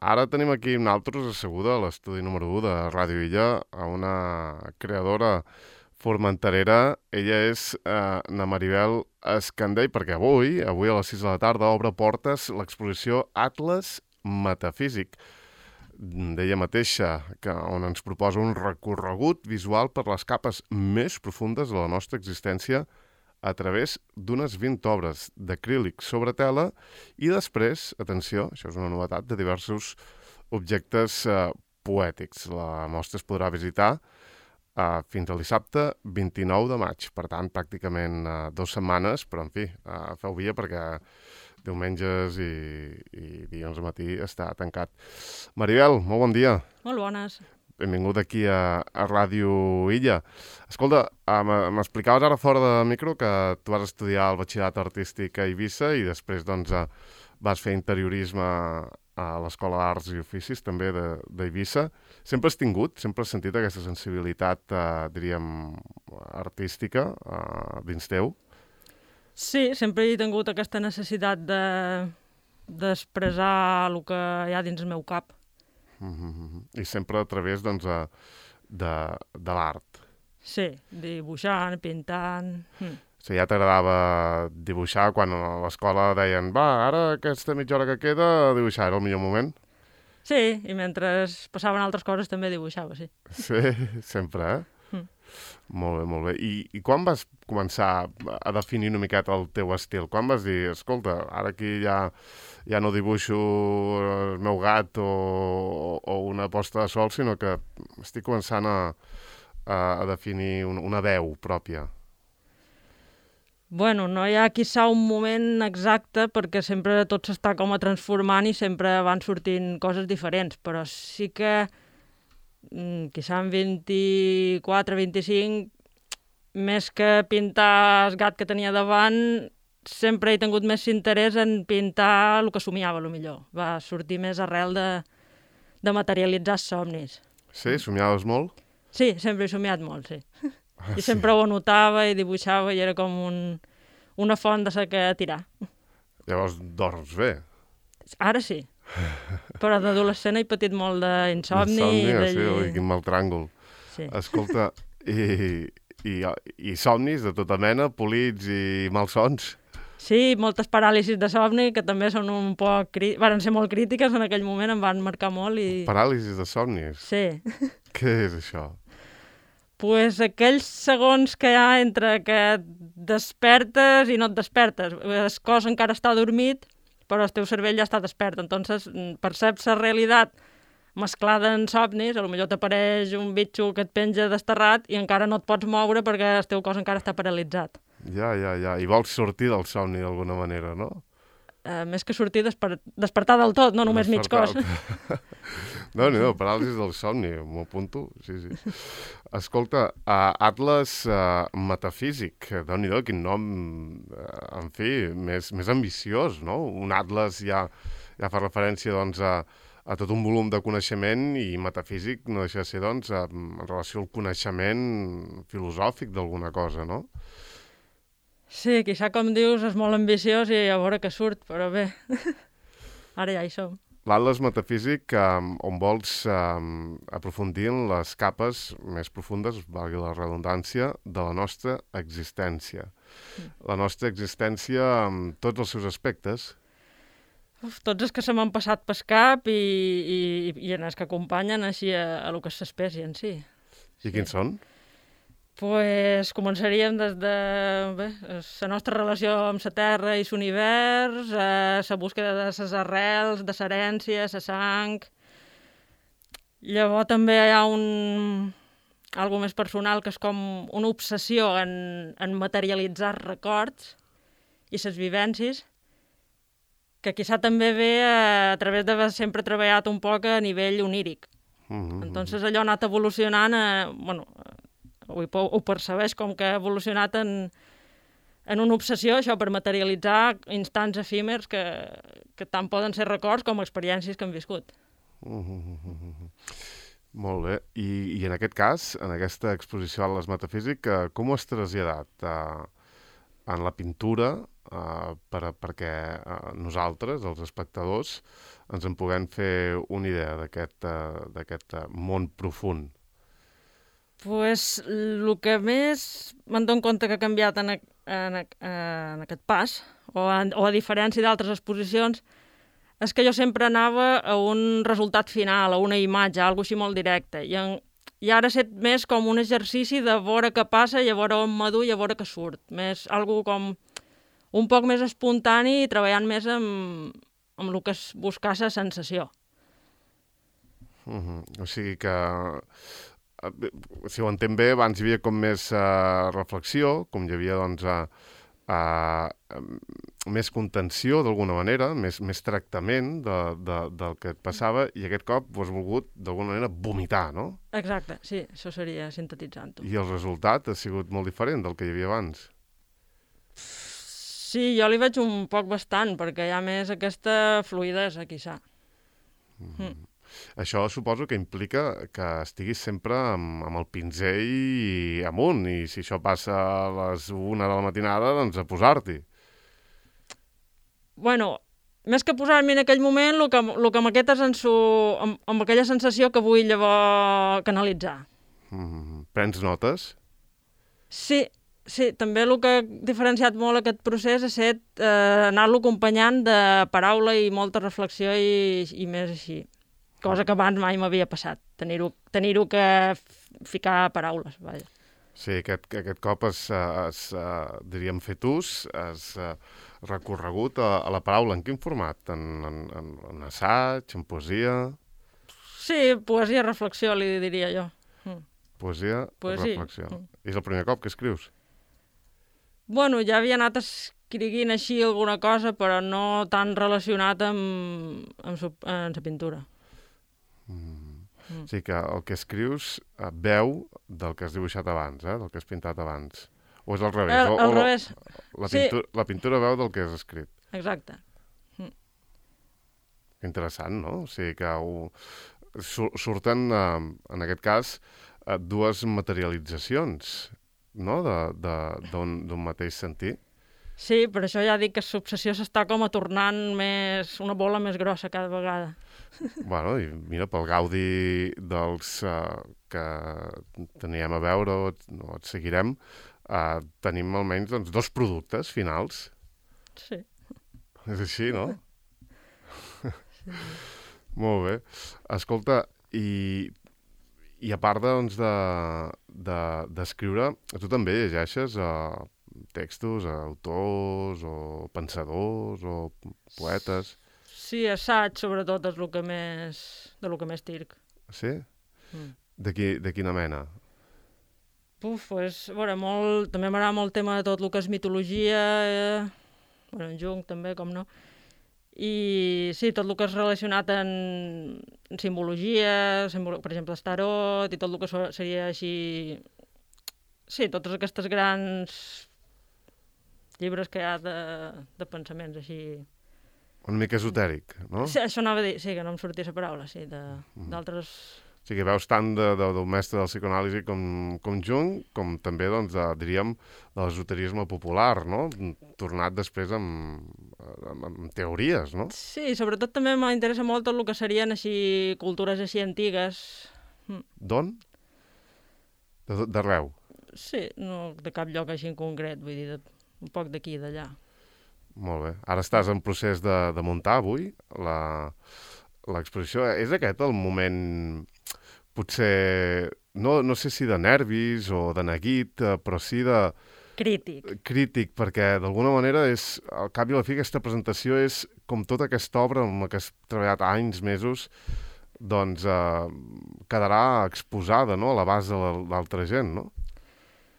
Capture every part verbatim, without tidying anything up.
ara tenim aquí nosaltres asseguda a l'estudi número u de Ràdio Illa a una creadora formenterera. Ella és eh, na Maribel Escandell, perquè avui, avui a les sis de la tarda, obre portes l'exposició Atles Metafísic d'ella mateixa, que, on ens proposa un recorregut visual per les capes més profundes de la nostra existència a través d'unes vint obres d'acrílic sobre tela i després, atenció, això és una novetat, de diversos objectes eh, poètics. La mostra es podrà visitar eh, fins al dissabte vint-i-nou de maig. Per tant, pràcticament eh, dues setmanes, però en fi, eh, feu via perquè diumenges i, i dilluns al matí està tancat. Maribel, molt bon dia. Molt bones. Benvingut aquí a, a Ràdio Illa. Escolta, m'explicaves ara fora de micro que tu vas estudiar el batxillerat artístic a Eivissa i després doncs, vas fer interiorisme a l'Escola d'Arts i Oficis també d'Eivissa. Sempre has tingut, sempre has sentit aquesta sensibilitat, eh, diríem, artística eh, dins teu? Sí, sempre he tingut aquesta necessitat de d'expressar el que hi ha dins el meu cap. Mm-hmm. I sempre a través doncs, de, de l'art. Sí, dibuixant, pintant... Mm. O sigui, ja t'agradava dibuixar quan a l'escola deien va, ara aquesta mitja hora que queda, dibuixar era el millor moment? Sí, i mentre passaven altres coses també dibuixava, sí. Sí, sempre, eh? Mm. Molt bé, molt bé. I, I quan vas començar a definir una miqueta el teu estil? Quan vas dir, escolta, ara aquí ja, ja no dibuixo el meu gat o, o una posta de sol, sinó que estic començant a, a, a definir un, una veu pròpia? Bueno, no hi ha quizà un moment exacte perquè sempre tot s'està com a transformant i sempre van sortint coses diferents, però sí que quizà en vint-i-quatre vint-i-cinc, més que pintar el gat que tenia davant, sempre he tingut més interès en pintar el que somiava, el millor. Va sortir més arrel de, de materialitzar els somnis. Sí? Somiaves molt? Sí, sempre he somiat molt, sí. Ah, I sempre sí. ho anotava i dibuixava i era com un, una font de saber tirar. Llavors dors bé? Ara sí. Però d'adolescent he patit molt d'insomni. Insòmnia, de... sí, oi, quin mal tràngol. Sí. Escolta, i, i, i somnis de tota mena, polits i malsons? Sí, moltes paràlisis de somni, que també són un poc... Crí... Van ser molt crítiques en aquell moment, em van marcar molt i... Paràlisis de somnis? Sí. Què és això? Pues aquells segons que hi ha entre que despertes i no et despertes. El cos encara està dormit, però el teu cervell ja està despert. Entonces, perceps la realitat mesclada en somnis, potser t'apareix un bitxo que et penja desterrat i encara no et pots moure perquè el teu cos encara està paralitzat. Ja, ja, ja. I vols sortir del somni d'alguna manera, no? Uh, més que sortir, desper... despertar del tot, no només mig cos. No, no, paràlisis del somni, m'ho apunto. Sí, sí. Escolta, uh, Atles uh, Metafísic, déu-n'hi-do, quin nom, uh, en fi, més, més ambiciós, no? Un atles ja, ja fa referència, doncs, a, a tot un volum de coneixement i metafísic no deixa de ser, doncs, a, en relació al coneixement filosòfic d'alguna cosa, no? Sí, quizà, com dius, és molt ambiciós i a veure què surt, però bé, ara ja hi som. L'Atles Metafísic, um, on vols um, aprofundir en les capes més profundes, valgui la redundància, de la nostra existència. Mm. La nostra existència amb tots els seus aspectes. Uf, tots els que se m'han passat pel cap i, i, i en els que acompanyen així a, a lo que és l'espècie en si. I sí. Quins són? Pues començaríem des de bé, la nostra relació amb la Terra i l'univers, eh, la búsqueda de les arrels, de l'herència, la sang. Llavors també hi ha un... algo més personal, que és com una obsessió en, en materialitzar records i les vivències, que quizà també ve a, a través d'haver sempre treballat un poc a nivell oníric. Mm-hmm. Entonces allò ha anat evolucionant a... Bueno, Ho, ho percebeix com que ha evolucionat en, en una obsessió, això, per materialitzar instants efímers que, que tant poden ser records com experiències que han viscut. Mm-hmm. Molt bé. I, I en aquest cas, en aquesta exposició a les Metafísic, com ho has traslladat? Uh, en la pintura, uh, per, perquè uh, nosaltres, els espectadors, ens en puguem fer una idea d'aquest uh, d'aquest uh, món profund? Pues, el que més me'n dono compte que ha canviat en, en, en aquest pas, o, en, o a diferència d'altres exposicions, és que jo sempre anava a un resultat final, a una imatge, a alguna així molt directe. I, en, i ara set més com un exercici de veure què passa i a veure on m'adu i a veure què surt. Més algo com un poc més espontani i treballant més amb, amb el que és buscar la sensació. Uh-huh. O sigui que, si ho entenc bé, abans hi havia com més uh, reflexió, com hi havia, doncs, uh, uh, més contenció, d'alguna manera, més, més tractament de, de, del que et passava, i aquest cop ho has volgut, d'alguna manera, vomitar, no? Exacte, sí, això seria sintetitzant-ho. I el resultat ha sigut molt diferent del que hi havia abans. Sí, jo li veig un poc bastant, perquè hi ha més aquesta fluïdesa, quizà. Mm. Mm. Això suposo que implica que estiguis sempre amb, amb el pinzell amunt, i si això passa a les una de la matinada, doncs a posar-t'hi. Bueno, més que posar-m'hi en aquell moment, el que, el que m'aquest és en su, amb, amb aquella sensació que vull llavors canalitzar. Mm. Prens notes? Sí, sí, també el que ha diferenciat molt aquest procés ha estat eh, anar-lo acompanyant de paraula i molta reflexió i, i més així. Cosa que abans mai m'havia passat, tenir-ho tenir-ho que ficar paraules, vaja. Sí, aquest, aquest cop has, has uh, diríem, fet ús, has uh, recorregut a, a la paraula. En quin format? En, en, en, en assaig, en poesia? Sí, poesia, reflexió, li diria jo. Mm. Poesia, Poesia. reflexió. Mm. És el primer cop que escrius? Bueno, ja havia anat escrivint així alguna cosa, però no tan relacionat amb, amb, su, amb la pintura. Mm. Mm. O sigui que el que escrius eh, veu del que has dibuixat abans, eh? Del que has pintat abans. O és al revés? El, o, al o revés. La, Sí. pintura, la pintura veu del que has escrit. Exacte. Mm. Interessant, no? O sigui que ho, sur, surten, eh, en aquest cas, eh, dues materialitzacions, no? D'un mateix sentit. Sí, per això ja dic que l'obsessió s'està com a tornant més, una bola més grossa cada vegada. Bueno, i mira, pel gaudi dels uh, que teníem a veure o et, o et seguirem, uh, tenim almenys doncs, dos productes finals. Sí. És així, no? Sí. Molt bé. Escolta, i, i a part doncs, de, de, d'escriure, tu també llegeixes uh, textos, uh, autors o pensadors o poetes? Sí, assaig, sobretot, és el que més, de lo que més tirc. Sí? Mm. De, qui, de quina mena? Puf, pues, a veure, molt, també m'agrada molt el tema de tot el que és mitologia, eh, bueno, en Jung també, com no, i sí, tot el que és relacionat en, en simbologia, simbolo, per exemple, el tarot, i tot el que so, seria així... Sí, totes aquestes grans llibres que hi ha de, de pensaments així... Una mica esotèric, no? Sí, això anava a dir, sí, que no em sortia la paraula, sí, d'altres... O sigui, veus tant de, de, del mestre del psicoanàlisi com, com Jung, com també, doncs, de, diríem, de l'esoterisme popular, no? Tornat després amb, amb, amb teories, no? Sí, sobretot també m'interessa molt tot el que serien així cultures així antigues. D'on? D'arreu? Sí, no de cap lloc així en concret, vull dir, de, un poc d'aquí i d'allà. Molt bé. Ara estàs en procés de, de muntar avui la, l'exposició. És aquest el moment, potser, no, no sé si de nervis o de neguit, però sí de... Crític. Crític, perquè d'alguna manera és, al cap i a la fi, aquesta presentació és com tota aquesta obra amb la que has treballat anys, mesos, doncs eh, quedarà exposada, no?, a l'abast de l'altra gent, no?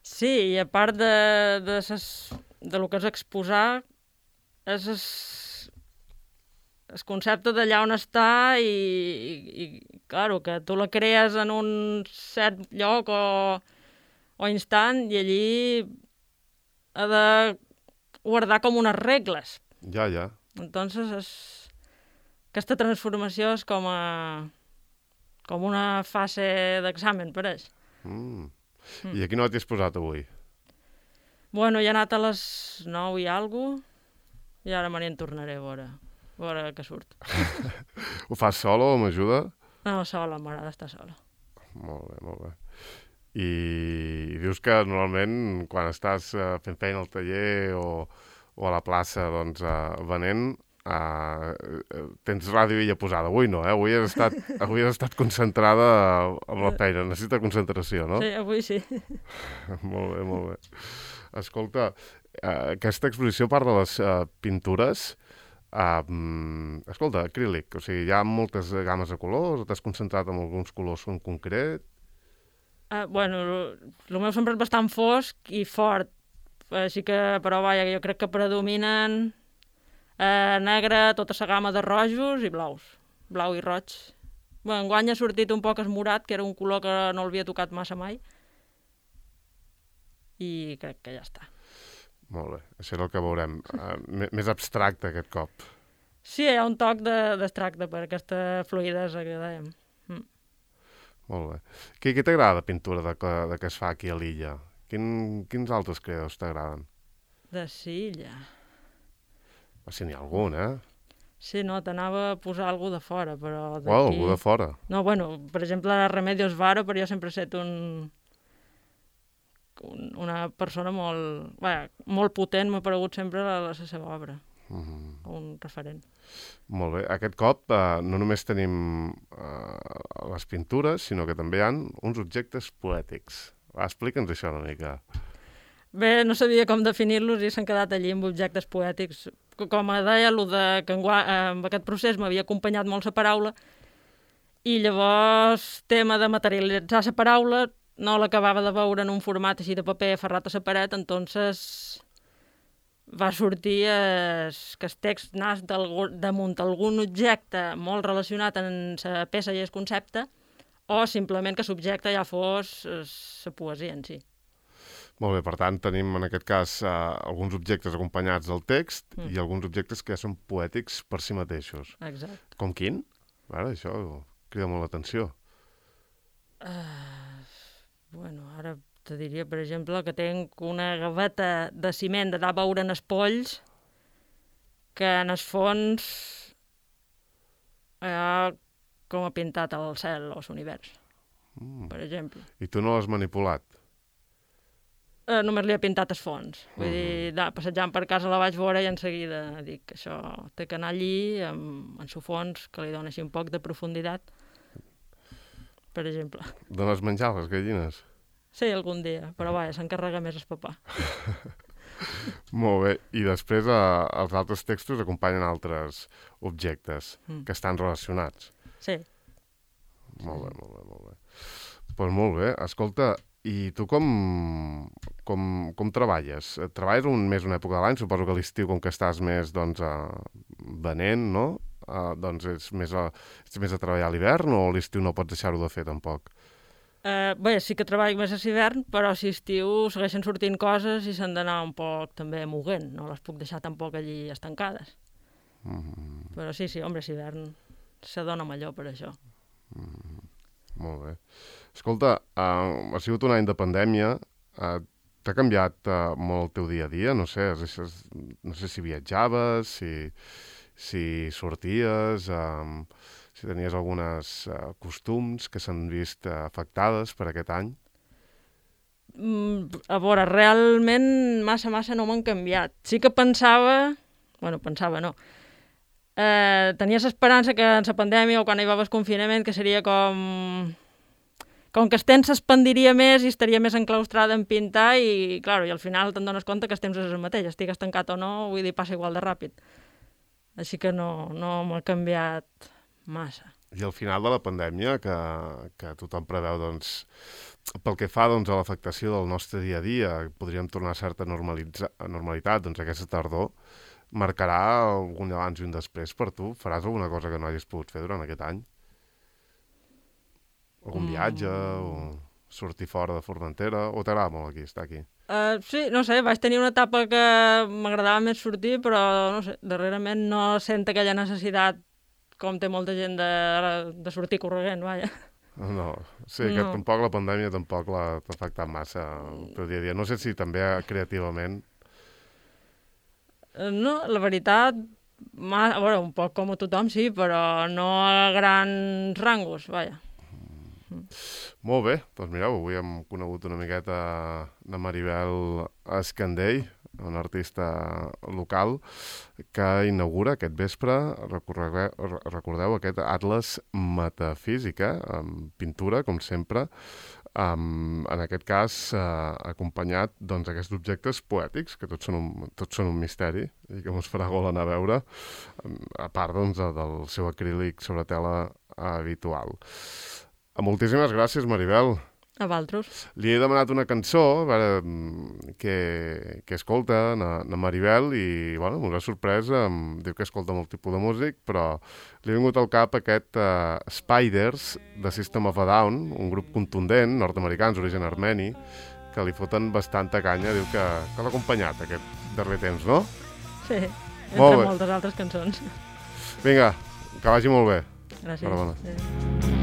Sí, i a part de, de, ses, de lo que és exposar, és el, el concepte d'allà on està i, i, i claro, que tu la crees en un cert lloc o, o instant i allí ha de guardar com unes regles. Ja, ja. Entonces, és, aquesta transformació és com, a, com una fase d'examen, pareix. Mm. Mm. I a quina hora t'hi has posat avui? Bueno, ja he anat a les nou i alguna cosa. i ara me n'hi tornaré a veure, a veure què surt. Ho fas solo o m'ajuda? No, sola, m'agrada estar sola. Molt bé, molt bé. I, i dius que normalment quan estàs uh, fent feina al taller o, o a la plaça doncs, uh, venent, uh, tens ràdio illa posada. Avui no, eh? Avui has estat, avui has estat concentrada amb la feina. Necessita concentració, no? Sí, avui sí. Molt bé, molt bé. Escolta, uh, aquesta exposició, a part de les uh, pintures, uh, um, escolta, acrílic, o sigui, hi ha moltes games de colors, t'has concentrat en alguns colors en concret? Uh, bueno, el meu sempre és bastant fosc i fort, així que, però vaja, jo crec que predominen uh, negre, tota la gamma de rojos i blaus, blau i roig. Bé, enguany ha sortit un poc esmorat, que era un color que no l'havia tocat massa mai, i crec que ja està. Molt bé, això és el que veurem. Uh, més abstracte aquest cop. Sí, hi ha un toc d'abstracte per aquesta fluïdesa que dèiem. Mm. Molt bé. Què, què t'agrada de pintura de que, de que es fa aquí a l'illa? Quin, quins altres creadors t'agraden? De Silla. O si n'hi ha algun, eh? Sí, no, t'anava a posar alguna de fora, però d'aquí... Uau, algú de fora. No, bueno, per exemple, Remedios Varo, però jo sempre he estat un... un una persona molt... Bé, molt potent, m'ha paregut sempre la, la seva obra. Mm-hmm. Un referent. Molt bé. Aquest cop eh, no només tenim eh, les pintures, sinó que també hi ha uns objectes poètics. Va, explica'ns això una mica. Bé, no sabia com definir-los i s'han quedat allí amb objectes poètics. Com deia, lo de que en, en aquest procés m'havia acompanyat molt la paraula i llavors tema de materialitzar la paraula no l'acabava de veure en un format així de paper aferrat a la paret, entonces va sortir es, que el text nas damunt algun objecte molt relacionat amb la peça i el concepte, o simplement que l'objecte ja fos la poesia en si. Molt bé, per tant, tenim en aquest cas eh, alguns objectes acompanyats del text mm. i alguns objectes que ja són poètics per si mateixos. Exacte. Com quin? Ara, això crida molt l'atenció. Uh, bueno, ara te diria, per exemple, que tenc una gaveta de ciment d'anar a veure en els polls que en el fons ha com ha pintat el cel o l'univers, mm. per exemple. I tu no l'has manipulat? Uh, només li he pintat el fons. Vull mm. dir, da, passejant per casa la vaig veure i en seguida dic que això té que anar allí amb, amb el fons, que li dona així un poc de profunditat, per exemple. Dones menjar a les gallines? Sí, algun dia, però vaja, s'encarrega més el papà. Molt bé. I després eh, els altres textos acompanyen altres objectes mm. que estan relacionats. Sí. Molt bé, molt bé, molt bé. Doncs pues molt bé. Escolta, i tu com, com, com treballes? Treballes un més una època de l'any? Suposo que a l'estiu, com que estàs més doncs, uh, venent, no? Uh, doncs ets més, a, ets més a treballar a l'hivern o a l'estiu no pots deixar-ho de fer tampoc? Uh, bé, sí que treballo més a l'hivern, però si estiu segueixen sortint coses i s'han d'anar un poc també moguent. No les puc deixar tampoc allí estancades. Mm-hmm. Però sí, sí, home, l'hivern se dona millor per això. Mm-hmm. Molt bé. Escolta, uh, ha sigut un any de pandèmia. Uh, t'ha canviat uh, molt el teu dia a dia? No sé, has, no sé si viatjaves, si, si sorties... Um, si tenies algunes uh, costums que s'han vist uh, afectades per aquest any? Mm, a veure, realment massa, massa no m'han canviat. Sí que pensava... Bueno, pensava, no. Eh, tenies esperança que en la pandèmia o quan hi va haver el confinament que seria com... Com que el temps s'expandiria més i estaria més enclaustrada en pintar i, clar, i al final te'n dones compte que el temps és el mateix, estigues tancat o no, vull dir, passa igual de ràpid. Així que no, no m'ha canviat... massa. I al final de la pandèmia, que, que tothom preveu, doncs, pel que fa doncs, a l'afectació del nostre dia a dia, podríem tornar a certa normalitat, doncs aquesta tardor, marcarà algun abans i un després per tu? Faràs alguna cosa que no hagis pogut fer durant aquest any? Algun mm. viatge, o sortir fora de Formentera, o t'agrada molt aquí, estar aquí? Uh, sí, no sé, vaig tenir una etapa que m'agradava més sortir, però, no sé, darrerament no sento aquella necessitat com té molta gent de, de sortir corregent, vaja. No, sí, que no. Tampoc la pandèmia tampoc l'ha afectat massa el teu dia a dia. No sé si també creativament... No, la veritat, ma, a veure, un poc com a tothom, sí, però no a grans rangos, vaja. Molt bé, doncs mireu, avui hem conegut una miqueta de Maribel Escandell, un artista local que inaugura aquest vespre, recordeu, recordeu aquest Atles Metafísica, amb pintura, com sempre, Um, en aquest cas uh, acompanyat doncs, d'aquests objectes poètics, que tots són, un, tots són un misteri i que ens farà gol anar a veure, um, a part doncs, del seu acrílic sobre tela habitual. Uh, moltíssimes gràcies, Maribel. A Valtros. Li he demanat una cançó a veure, que, que escolta na, na Maribel i bueno, m'ho ha sorprès, em diu que escolta molt tipus de músic, però li ha vingut al cap aquest uh, Spiders de System of a Down, un grup contundent, nord-americans, d'origen armeni, que li foten bastanta canya, diu que, que l'ha acompanyat aquest darrer temps, no? Sí, entre molt moltes altres cançons. Vinga, que vagi molt bé. Gràcies. Sí.